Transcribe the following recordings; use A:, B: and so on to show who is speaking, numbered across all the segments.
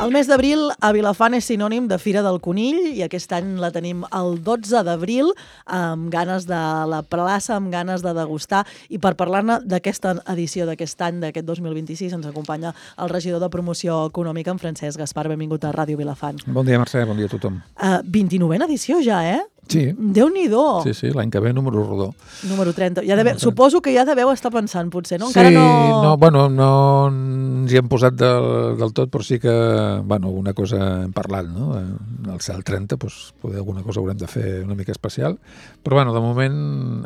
A: El mes d'abril a Vilafant és sinònim de Fira del Conill i aquest any la tenim el 12 d'abril amb ganes de la plaça, amb ganes de degustar, i per parlar-ne d'aquesta edició d'aquest any, d'aquest 2026, ens acompanya el regidor de Promoció Econòmica, en Francesc Gaspar. Benvingut a Ràdio Vilafant.
B: Bon dia, Mercè, bon dia a tothom.
A: 29a edició ja, eh?
B: Sí.
A: Déu-n'hi-do.
B: Sí, l'any que ve número rodó.
A: Número 30. Suposo que ja deveu estar pensant, potser, no?
B: Encara no ens hi hem posat del tot, però sí que, alguna cosa hem parlat, no? Al cel 30, poder alguna cosa haurem de fer una mica especial, però, de moment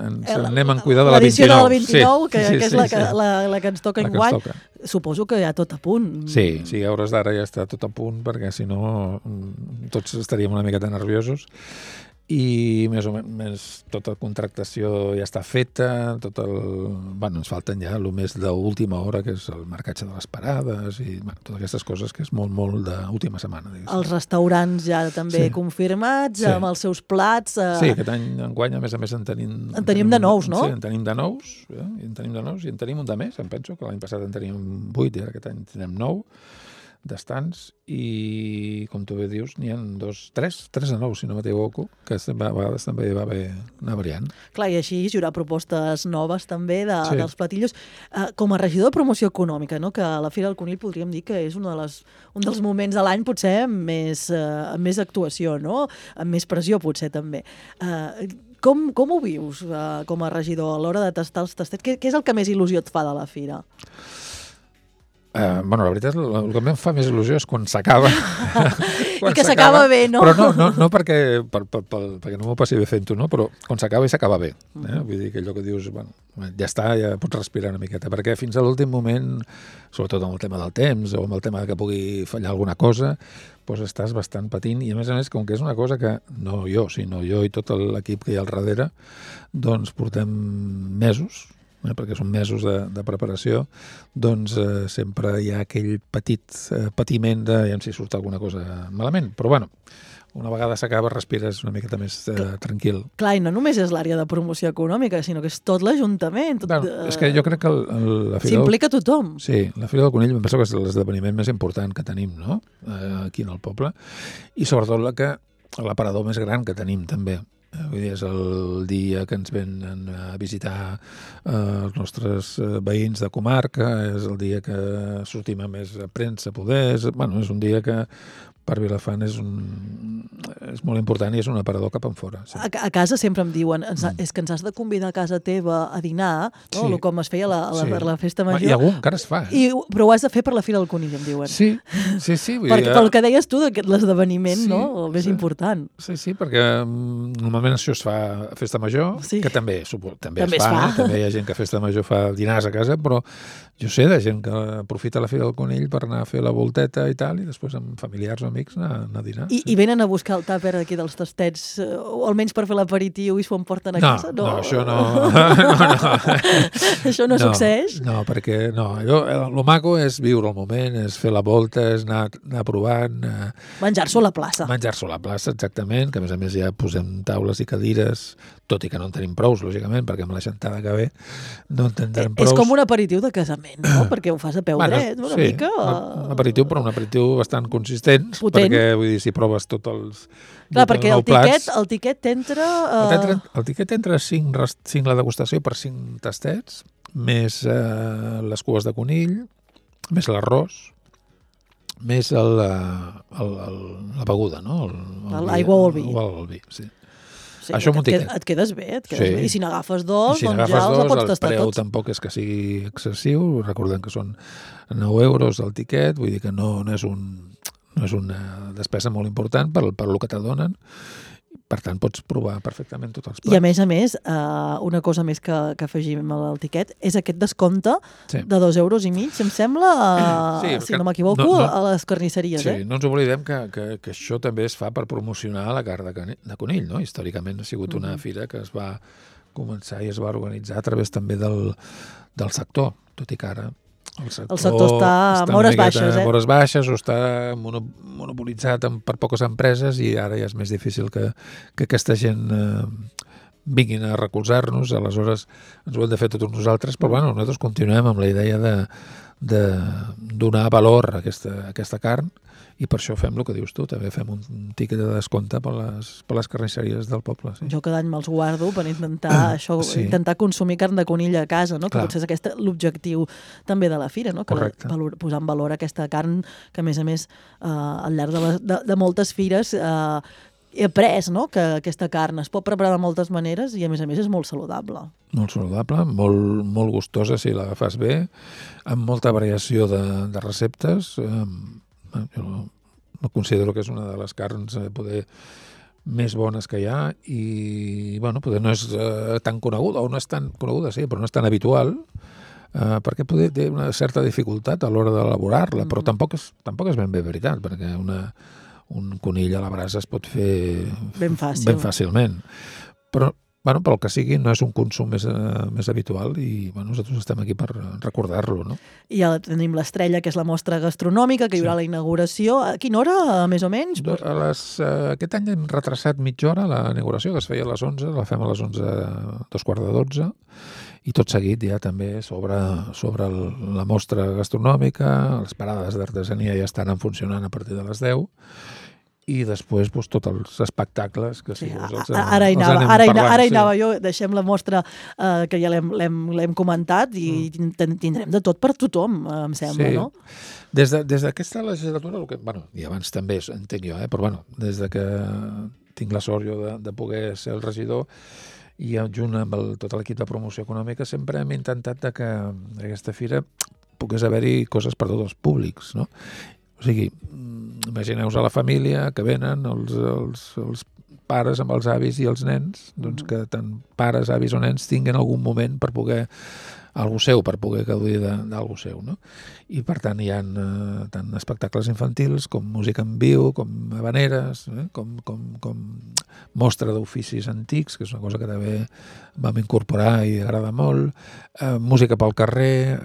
B: ens anem en cuidar de la 29.
A: L'edició de la 29, que és la que ens toca enguany. Suposo que ja tot a punt.
B: Sí, a hores d'ara ja està tot a punt, perquè si no tots estaríem una miqueta nerviosos. I més o menys tota la contractació ja està feta, ens falten ja el més d'última hora, que és el marcatge de les parades i totes aquestes coses que és molt d'última setmana.
A: Els restaurants ja també confirmats, amb els seus plats.
B: Sí, aquest any enguany, a més, en
A: tenim de nous, no?
B: Sí, en tenim de nous, i en tenim un de més, em penso, que l'any passat en teníem 8 i aquest any tenim 9 d'estants, i com tu bé dius n'hi ha 3 de nous, si no m'equivoco, que a vegades també va haver una variant.
A: Clar, i així jurar propostes noves també dels platillos. Com a regidor de Promoció Econòmica, no? Que a la Fira del Conill podríem dir que és un dels moments de l'any potser amb més actuació, no? Amb més pressió potser també. Com ho vius com a regidor a l'hora de tastar els tastets? Què és el que més il·lusió et fa de la Fira?
B: La veritat, el que em fa més il·lusió és quan s'acaba.
A: I que s'acaba bé, no?
B: Però no perquè no m'ho passi bé fent-ho, no? Però quan s'acaba i s'acaba bé. Vull dir que allò que dius, ja està, ja pots respirar una miqueta, perquè fins a l'últim moment, sobretot amb el tema del temps o amb el tema que pugui fallar alguna cosa, estàs bastant patint, i a més, com que és una cosa que no jo, sinó jo i tot l'equip que hi ha al darrere, doncs portem mesos, perquè són mesos de preparació, doncs sempre hi ha aquell petit patiment de si surt alguna cosa malament. Però una vegada s'acaba, respires una miqueta més tranquil.
A: Clar, i no només és l'àrea de promoció econòmica, sinó que és tot l'Ajuntament.
B: És que jo crec que la Fira...
A: S'implica tothom.
B: Sí, la Fira del Conill em penso que és l'esdeveniment més important que tenim, no?, aquí en el poble, i sobretot l'aparador més gran que tenim, també. Vull dir, és el dia que ens venen a visitar els nostres veïns de comarca, és el dia que sortim a més premsa, és un dia que per Vilafant és molt important i és un aparador cap enfora. Sí.
A: A casa sempre em diuen és que ens has de convidar a casa teva a dinar, no?
B: Sí.
A: Com es feia per la festa major.
B: I algun encara es fa.
A: Però ho has de fer per la Fira del Conill, em diuen.
B: Sí.
A: Pel que deies tu, l'esdeveniment, no? El més important.
B: Sí, perquè normalment això es fa a festa major, que també es fa. També hi ha gent que a festa major fa dinars a casa, però jo sé de gent que aprofita la Fira del Conill per anar a fer la volteta i tal, i després amb familiars o amics anar a dinar.
A: I venen a buscar el tàper aquí dels tastets, o almenys per fer l'aperitiu i s'ho emporten a casa?
B: No, això no.
A: Això no succeeix?
B: No, perquè el maco és viure el moment, és fer la volta, és anar provant.
A: Menjar-s'ho a la plaça.
B: Menjar-s'ho a la plaça, exactament, que a més ja posem taules i cadires, tot i que no en tenim prous, lògicament, perquè amb la xantada que ve no en tindrem prous.
A: És com un aperitiu de casament, no? Perquè ho fas a peu dret, una mica.
B: Un aperitiu, però un aperitiu bastant consistent,
A: potent.
B: Perquè, vull dir, si proves tots els...
A: Clar, perquè el tiquet entra...
B: El tiquet entra 5 la degustació per 5 tastets, més les cues de conill, més l'arròs, més la beguda, no?
A: L'aigua o el vi.
B: Sí.
A: Sí,
B: això
A: et quedes bé. I si n'agafes dos, doncs ja els pots tastar tots.
B: El preu tampoc és que sigui excessiu, recordem que són 9 euros el tiquet, vull dir que no és una despesa molt important per el que t'adonen. Per tant, pots provar perfectament tots els plats.
A: I a més, una cosa més que afegim al tiquet és aquest descompte de 2,5 euros, em sembla, si no m'equivoco, a les carnisseries.
B: Sí, no ens oblidem que això també es fa per promocionar la carn de conill, no? Històricament ha sigut una fira que es va començar i es va organitzar a través també del sector, tot i que ara el sector està a hores baixes, o està monopolitzat per poques empreses, i ara ja és més difícil que aquesta gent vinguin a recolzar-nos. Aleshores ens ho hem de fer tots nosaltres, però nosaltres continuem amb la idea donar valor a aquesta carn, i per això fem el que dius tu, també fem un tiquet de descompte per les carnisseries del poble. Sí.
A: Jo cada any me'ls guardo per intentar intentar consumir carn de conill a casa, no? Que potser és l'objectiu també de la fira, no? Posar en valor aquesta carn que, a més, al llarg de moltes fires he après, no? Que aquesta carn es pot preparar de moltes maneres i, a més, és molt saludable.
B: Molt saludable, molt gustosa si la fas bé, amb molta variació de receptes. Jo no considero que és una de les carns poder més bones que hi ha i, poder no és tan coneguda, o no és tan coneguda, sí, però no és tan habitual, perquè poder té una certa dificultat a l'hora d'elaborar-la, però tampoc és ben bé veritat, perquè un conill a la brasa es pot fer ben fàcilment. Però pel que sigui, no és un consum més habitual i nosaltres estem aquí per recordar-lo, no?
A: I ja tenim l'Estrella, que és la mostra gastronòmica, que hi haurà la inauguració. A quina hora, més o menys?
B: Aquest any hem retrasat mitja hora la inauguració, que es feia a les 11, la fem a les 11, 11:45, i tot seguit ja també sobre la mostra gastronòmica, les parades d'artesania ja estan funcionant a partir de les 10, i després tots els espectacles que si vols els anem parlant.
A: Ara hi anava jo, deixem la mostra que ja l'hem comentat i tindrem de tot per tothom, em sembla, no?
B: Des d'aquesta legislatura, i abans també entenc jo, però des que tinc la sort jo de poder ser el regidor i junt amb tot l'equip de promoció econòmica sempre hem intentat que aquesta fira pogués haver-hi coses per tots els públics, no? O sigui, imagineu-vos a la família que venen els pares amb els avis i els nens, doncs que tant pares, avis o nens tinguin algun moment per poder algú seu, per poder gaudir d'algú seu, no? I per tant hi ha tant espectacles infantils com música en viu, com habaneres, com mostra d'oficis antics, que és una cosa que també vam incorporar i agrada molt, música pel carrer,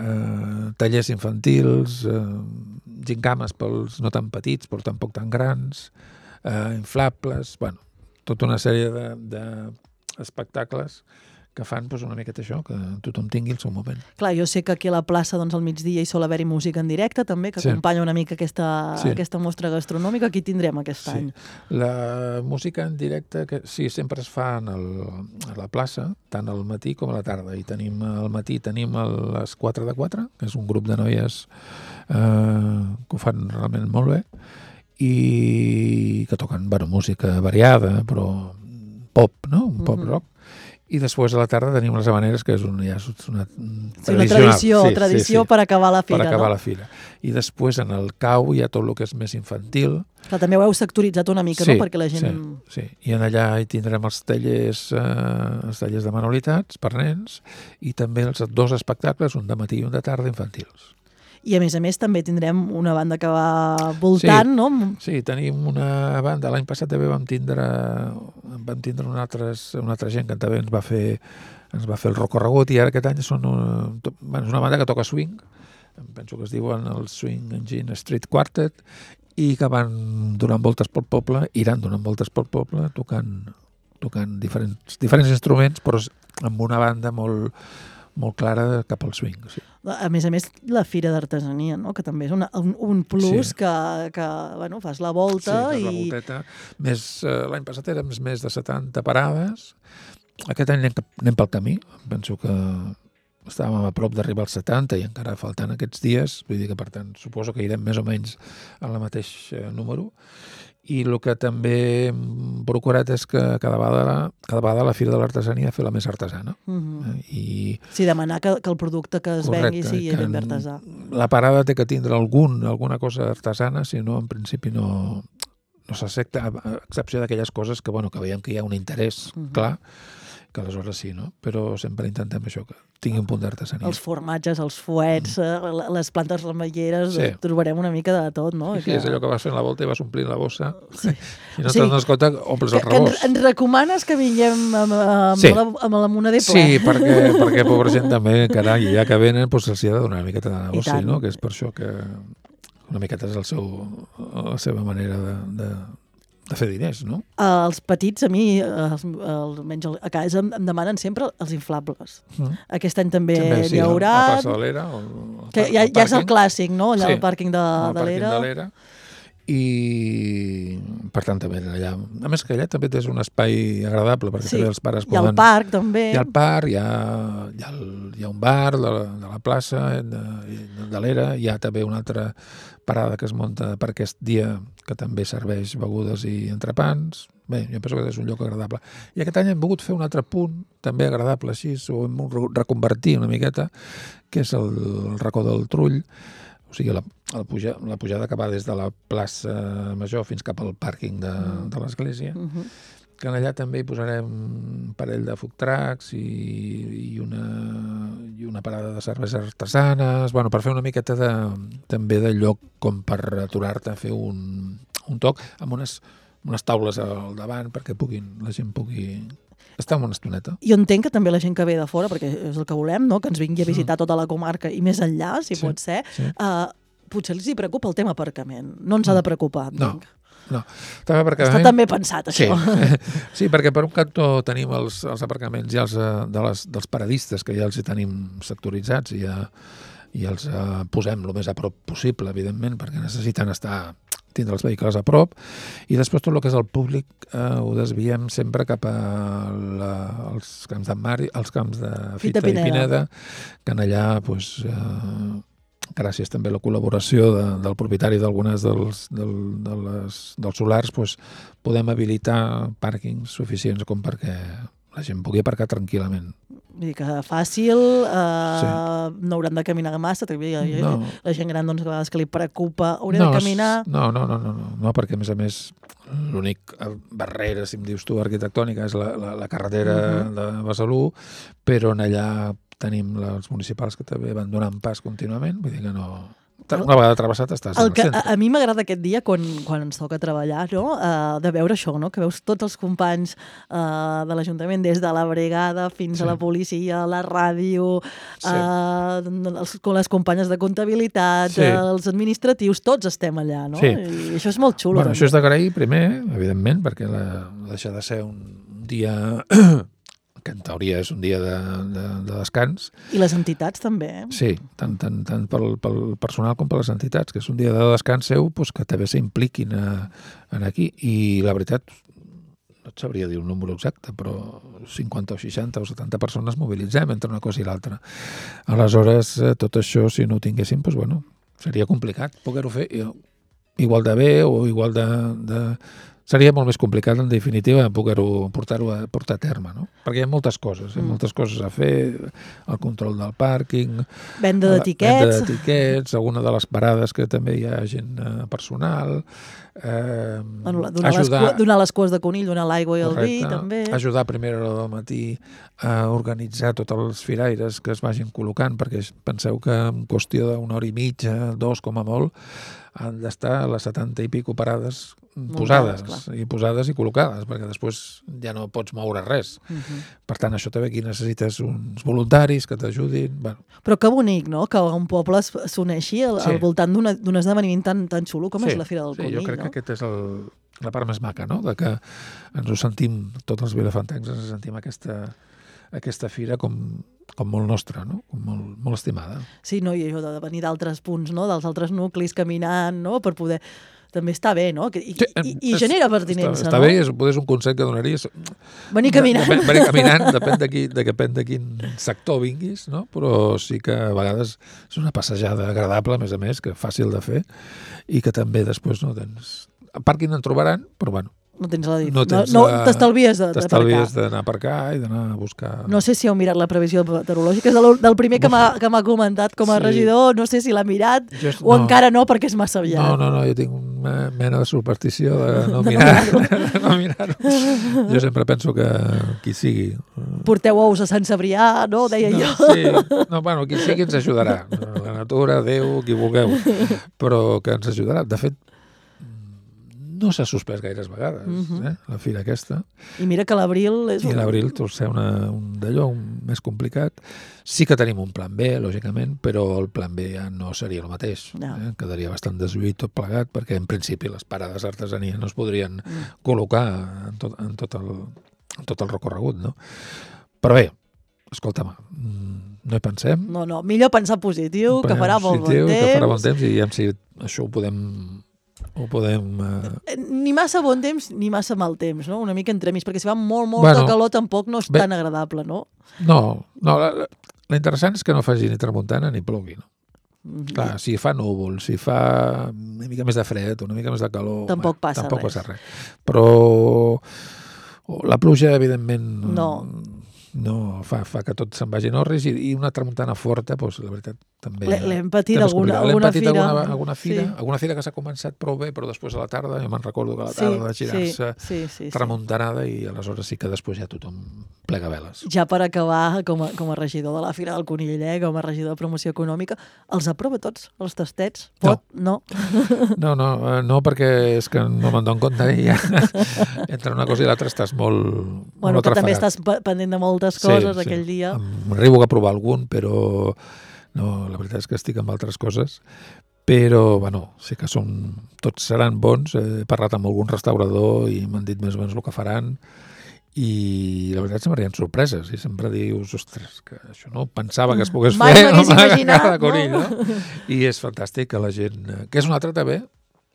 B: tallers infantils, gincames pels no tan petits però tampoc tan grans, inflables, tota una sèrie d'espectacles que fan una miqueta això, que tothom tingui el seu moment.
A: Clar, jo sé que aquí a la plaça al migdia hi sol haver-hi música en directe també, que acompanya una mica aquesta mostra gastronòmica. Aquí tindrem aquest any.
B: La música en directe, sempre es fa a la plaça, tant al matí com a la tarda. I al matí tenim les 4 de 4, que és un grup de noies que ho fan realment molt bé i que toquen música variada, però pop, no? Un pop rock. I després a la tarda tenim les habaneres, que és una
A: tradició per acabar la fira.
B: Per acabar la fira. I després en el cau hi ha tot el que és més infantil.
A: Clar, també ho heu sectoritzat una mica, no? Perquè la gent...
B: Sí. I allà hi tindrem els tallers de manualitats per nens i també els 2 espectacles, un de matí i un de tarda, infantils.
A: I, a més, també tindrem una banda que va voltant, no?
B: Sí, tenim una banda. L'any passat també vam tindre una altra gent que també ens va fer el recorregut i ara aquest any és una banda que toca swing, penso que es diuen el Swing Engine Street Quartet, i que van donant voltes pel poble, iran donant voltes pel poble, tocant diferents instruments, però amb una banda molt clara cap al swing. Sí.
A: A més, la fira d'artesania, no? Que també és un plus que fas la volta.
B: Sí, la volteta. L'any passat érem més de 70 parades. Aquest any anem pel camí. Penso que estàvem a prop d'arribar als 70 i encara faltant aquests dies. Vull dir que, per tant, suposo que irem més o menys al mateix número. I el que també hem procurat és que cada vegada la Fira de l'Artesania fer la més artesana.
A: Sí, demanar que el producte que es vengui sigui ben artesà.
B: La parada té que tindre alguna cosa artesana, si no, en principi no s'accepta, a excepció d'aquelles coses que veiem que hi ha un interès clar, que aleshores sí, no? Però sempre intentem això, que tingui un punt d'artesania.
A: Els formatges, els fuets, les plantes remeieres, trobarem una mica de tot, no?
B: Sí, és allò que vas fent la volta i vas omplint la bossa i no te'n dones compte, omples el rebost.
A: Ens recomanes que vinguem amb la moneder ple?
B: Sí, perquè pobra gent també, carai, ja que venen, se'ls ha de donar una miqueta de negoci, no? Que és per això que una miqueta és la seva manera de fer diners, no?
A: Els petits, a mi, almenys a casa, em demanen sempre els inflables. Aquest any també n'hi haurà.
B: A la plaça de l'Era.
A: Ja és el clàssic, no? Allà al pàrquing de l'Era.
B: I per tant també allà, a més que allà també és un espai agradable perquè també els pares poden...
A: Hi ha el parc també.
B: Hi ha el parc, hi ha un bar de la plaça de l'Era, hi ha també una altra parada que es munta per aquest dia que també serveix begudes i entrepans. Bé, jo penso que és un lloc agradable. I aquest any hem volgut fer un altre punt també agradable, així ho hem reconvertir una miqueta, que és el racó del Trull. O sigui, la pujada que va des de la plaça Major fins cap al pàrquing de l'església, que allà també hi posarem un parell de food trucks i una parada de cerveses artesanes, bueno, per fer una miqueta també de lloc com per aturar-te a fer un toc amb unes taules al davant perquè la gent pugui estar una estoneta.
A: Jo entenc que també la gent que ve de fora, perquè és el que volem, no? Que ens vingui a visitar tota la comarca i més enllà, si pot ser, potser els hi preocupa el tema aparcament. No ens ha de preocupar, entenc.
B: No. Està
A: també pensat, això.
B: Sí, perquè per un cantó tenim els aparcaments ja dels paradistes, que ja els hi tenim sectoritzats i els posem el més a prop possible, evidentment, perquè necessiten tindre els vehicles a prop, i després tot el que és el públic ho desviem sempre cap als camps d'en Mar, als camps de Fita i Pineda, que en allà, gràcies també a la col·laboració del propietari d'algunes dels solars, podem habilitar pàrquings suficients com perquè la gent pugui aparcar tranquil·lament.
A: Vull dir que fàcil, no hauran de caminar massa, la gent gran doncs, a vegades que li preocupa, haurà de caminar...
B: No, perquè a més l'únic barrera, si em dius tu, arquitectònica és la carretera de Besalú, però en allà tenim els municipals que també van donant pas contínuament, vull dir que no... Una vegada travessat estàs al centre.
A: A mi m'agrada aquest dia, quan ens toca treballar, no? De veure això, no? Que veus tots els companys de l'Ajuntament, des de la brigada fins a la policia, la ràdio, les companyes de comptabilitat, els administratius, tots estem allà, no? I això és molt xulo.
B: Bueno, això és d'agrair primer, evidentment, perquè deixa de ser un dia... que en teoria és un dia de descans.
A: I les entitats també.
B: Sí, tant pel personal com per les entitats, que és un dia de descans seu, que també s'impliquin aquí. I la veritat, no et sabria dir un número exacte, però 50 o 60 o 70 persones mobilitzem entre una cosa i l'altra. Aleshores, tot això, si no ho tinguéssim, seria complicat poder-ho fer igual de bé o igual de seria molt més complicat, en definitiva, poder-ho portar a terme, no? Perquè hi ha moltes coses a fer, el control del pàrquing,
A: venda
B: d'etiquets, alguna de les parades que també hi ha gent personal,
A: donar les cues de conill, donar l'aigua i el vi, també.
B: Ajudar a primera hora del matí a organitzar tots els firaires que es vagin col·locant, perquè penseu que en qüestió d'una hora i mitja, 2 com a molt, han d'estar a les 70 i pico parades posades i col·locades, perquè després ja no pots moure res. Per tant, això també aquí necessites uns voluntaris que t'ajudin.
A: Però que bonic, no?, que un poble s'uneixi al voltant d'un esdeveniment tan xulo com és la Fira del Conill.
B: Sí, jo crec que aquesta és la part més maca, no?, de que ens ho sentim, tots els vilafantencs ens sentim aquesta fira com molt nostra, no? Com molt estimada.
A: Sí, no? I això de venir d'altres punts, no?, dels altres nuclis caminant, no?, per poder... També està bé, no? I genera pertinença, no?
B: Està bé, és un consell que donaries...
A: Venir caminant.
B: Venir caminant, depèn de quin sector vinguis, no? Però sí que a vegades és una passejada agradable, a més, que fàcil de fer, i que també després no tens... A pàrquing en trobaran, però bueno,
A: no tens la dit. T'estalvies
B: d'anar a aparcar i d'anar a buscar...
A: No sé si heu mirat la previsió meteorològica, és del primer que m'ha comentat com a regidor, no sé si l'ha mirat o encara no, perquè és massa aviat.
B: No, jo tinc una mena de superstició de no mirar-ho. Jo sempre penso que qui sigui...
A: Porteu ous a Sant Cebrià, no? Deia jo.
B: Sí, qui sigui ens ajudarà. La natura, Déu, qui vulgueu, però que ens ajudarà. De fet, no s'ha suspès gaires vegades, la fira aquesta.
A: I mira que l'abril és...
B: I l'abril tot ser un d'allò més complicat. Sí que tenim un plan B, lògicament, però el plan B ja no seria el mateix. Quedaria bastant deslluït tot plegat, perquè en principi les parades d'artesania no es podrien col·locar en tot el recorregut, no? Però bé, escolta'm, no hi pensem.
A: No, millor pensar positiu, que farà molt bon temps.
B: Que farà bon temps i si això ho podem...
A: Ni massa bon temps ni massa mal temps, no? Una mica entremig, perquè si fa molta calor tampoc no és tan agradable, no?
B: No, l'interessant és que no faci ni tramuntana ni plogui, no? Clar, si fa núvol, si fa una mica més de fred, una mica més de calor...
A: Tampoc passa
B: res. Però la pluja, evidentment... No, fa que tot se'n vagi en orris i una tramuntana forta, doncs, la veritat, també...
A: L'hem patit alguna fira.
B: Alguna fira que s'ha començat prou bé, però després a la tarda, jo me'n recordo que a la tarda de girar-se tramuntanada i aleshores sí que després ja tothom plega veles.
A: Ja per acabar, com a regidor de la Fira del Conill, com a regidor de promoció econòmica, els aprova tots, els tastets? Pot? No.
B: No, perquè és que no me'n dono compte i ja entre una cosa i l'altra estàs molt
A: que
B: atrafagat.
A: També estàs pendent de moltes coses aquell dia.
B: M'arribo a provar algun, però no, la veritat és que estic amb altres coses. Però, sí que tots seran bons. He parlat amb algun restaurador i m'han dit més o menys el que faran i la veritat m'arriben sorpreses i sempre dius, ostres, que això no pensava que es pogués
A: fer. Mai m'hagués imaginat,
B: no? Conill, no? I és fantàstic que la gent... Que és una altra també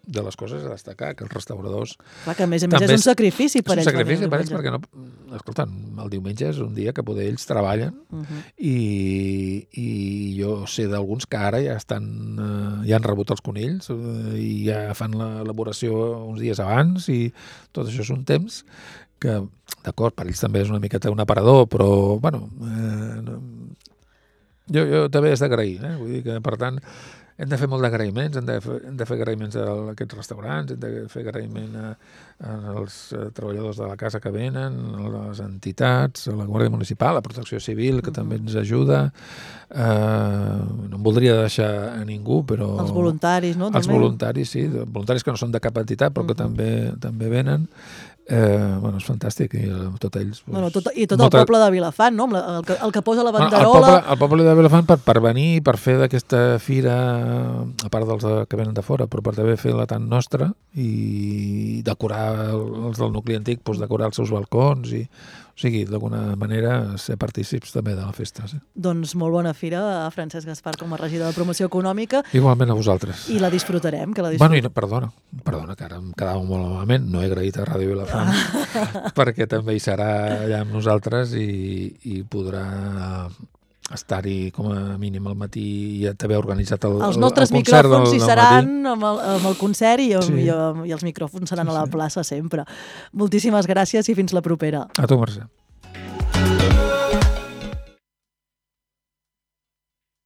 B: de les coses a destacar, que els restauradors...
A: Clar, que a més és un sacrifici per ells.
B: És un sacrifici per ells perquè no... Escolta, el diumenge és un dia que poder ells treballen i jo sé d'alguns que ara ja han rebut els conills i ja fan l'elaboració uns dies abans i tot això és un temps que, d'acord, per ells també és una miqueta un aparador, però, jo també és d'agrair, vull dir que, per tant, hem de fer molt d'agraïments, hem de fer agraïments a aquests restaurants, hem de fer agraïment als treballadors de la casa que venen, a les entitats, a la Guàrdia Municipal, a la Protecció Civil, que també ens ajuda. No em voldria deixar a ningú, però...
A: Els voluntaris, no?
B: Els voluntaris, sí. Voluntaris que no són de cap entitat, però que també venen. És fantàstic i tots ells...
A: I tot el poble de Vilafant, no? El que posa la banderola...
B: El poble de Vilafant per venir, per fer d'aquesta fira, a part dels que venen de fora, però per també fer-la tan nostra i decorar els del nucli antic, decorar els seus balcons i... O sigui, d'alguna manera, ser partícips també de la festa. Sí.
A: Doncs molt bona fira a Francesc Gaspar com a regidor de promoció econòmica.
B: Igualment a vosaltres.
A: I la disfrutarem, que la
B: disfrutarem. Perdona, que ara em quedava molt malament. No he agraït a Ràdio Vilafant perquè també hi serà allà amb nosaltres i podrà estar-hi com a mínim al matí i també organitzat el concert.
A: Els nostres micròfons hi seran amb el concert i els micròfons seran a la plaça sempre. Moltíssimes gràcies i fins la propera.
B: A tu, Mercè.